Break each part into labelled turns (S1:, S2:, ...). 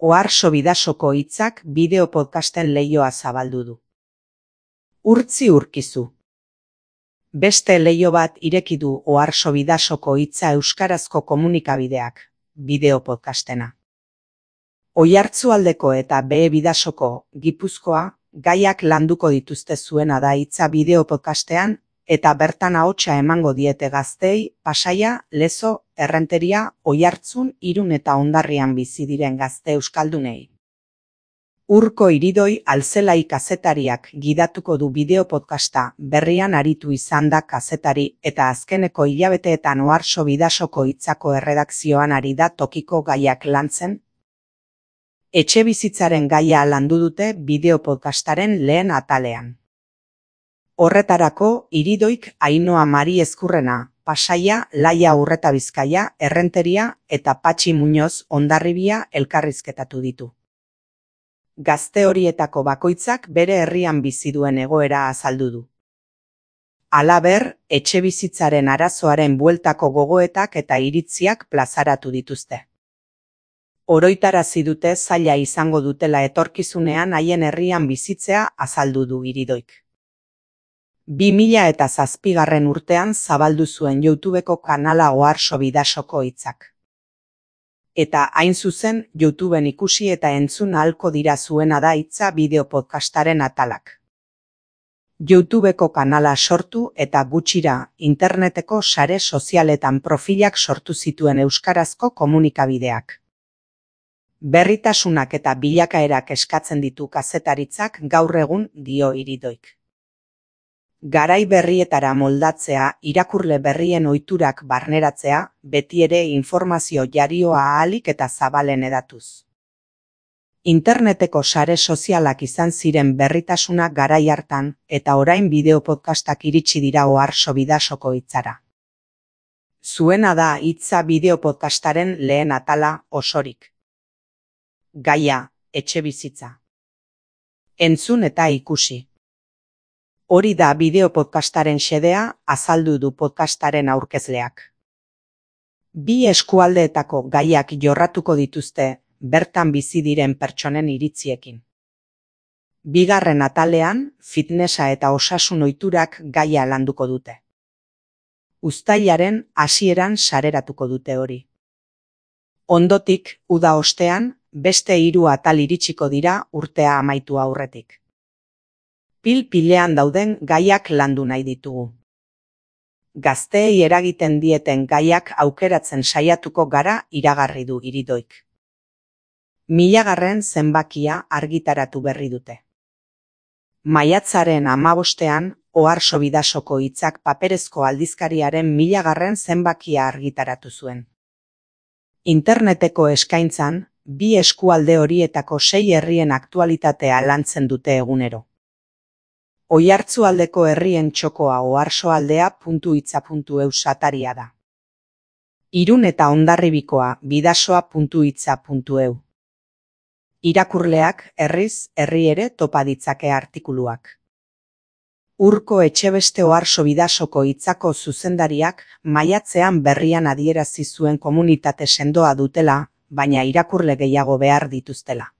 S1: Oharso Bidasoko hitzak bideo podcasten leihoa zabaldu du. Urtzi urkizu. Beste leiho bat ireki du Oharso Bidasoko hitza euskarazko komunikabideak, bideo podcastena. Oiartzualdeko eta Behe Bidasoko, Gipuzkoa, gaiak landuko dituzte zuena da hitza bideo podcastean, eta bertan ahotsa emango diete gazteei, Pasaia, Lezo, Errenteria, Oiartzun, Irun eta Hondarrian bizi diren gazte euskaldunei. Urko Iridoi Alzelai kazetariak gidatuko du bideo podcasta, berrian aritu izan da kazetari eta azkeneko hilabeteetan Oharso Bidasoko hitzako erredakzioan ari da tokiko gaiak lantzen. Etxebizitzaren gaia landu dute bideo podcastaren lehen atalean. Horretarako, Iridoik Ainhoa Mari Ezkurrena, Pasaia, Laia Urreta Bizkaia, Errenteria eta Patxi Muñoz Hondarribia elkarrizketatu ditu. Gazte horietako bakoitzak bere herrian bizi duen egoera azaldu du. Halaber, etxebizitzaren arazoaren bueltako gogoetak eta iritziak plazaratu dituzte. Oroitarazi dute zaila izango dutela etorkizunean haien herrian bizitzea azaldu du Iridoik. 2007 urtean zabaldu zuen YouTubeko kanala Oharso Bidasoko hitzak. Eta hain zuzen, YouTubeen ikusi eta entzun ahalko dira zuena da hitza bideo podcastaren atalak. YouTubeko kanala sortu eta gutxira interneteko sare sozialetan profilak sortu zituen euskarazko komunikabideak. Berritasunak eta bilakaerak eskatzen ditu kazetaritzak gaur egun, dio Iridoik. Garai berrietara moldatzea, irakurle berrien ohiturak barneratzea, beti ere informazio jarioa ahalik eta zabalen edatuz. Interneteko sare sozialak izan ziren berritasunak garai hartan, eta orain bideo podcastak iritsi dira Oharso Bidasoko hitzara. Zuena da hitza bideo podcastaren lehen atala osorik. Gaia, etxebizitza. Entzun eta ikusi. Hori da bideo podcastaren xedea, azaldu du podcastaren aurkezleak. Bi eskualdeetako gaiak jorratuko dituzte, bertan bizi diren pertsonen iritziekin. Bigarren atalean, fitnessa eta osasun ohiturak gaia landuko dute. Uztailaren hasieran sareratuko dute hori. Ondotik, uda ostean, beste 3 atal iritsiko dira urtea amaitu aurretik. Pil-pilean dauden gaiak landu nahi ditugu. Gazteei eragiten dieten gaiak aukeratzen saiatuko gara iragarri du Iridoik. 1000. zenbakia argitaratu berri dute. Maiatzaren 15ean, Oharso Bidasoko hitzak paperezko aldizkariaren 1000. zenbakia argitaratu zuen. Interneteko eskaintzan, bi eskualde horietako 6 herrien aktualitatea lantzen dute egunero. Oiartzualdeko herrien txokoa oharsoaldea.hitza.eus ataria da. Irun eta Hondarribikoa bidasoa.hitza.eu. Irakurleak herriz, herri ere topa ditzake artikuluak. Urko Etxebeste Oharso Bidasoko hitzako zuzendariak maiatzean berrian adierazi zuen komunitate sendoa dutela, baina irakurle gehiago behar dituztela.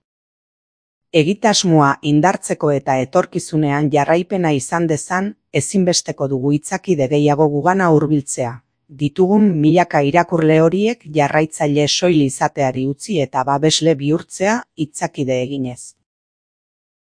S1: Egitasmoa indartzeko eta etorkizunean jarraipena izan dezan, ezinbesteko dugu hitzakide gehiago gugana hurbiltzea. Ditugun milaka irakurle horiek jarraitzaile soil izateari utzi eta babesle bihurtzea hitzakide eginez.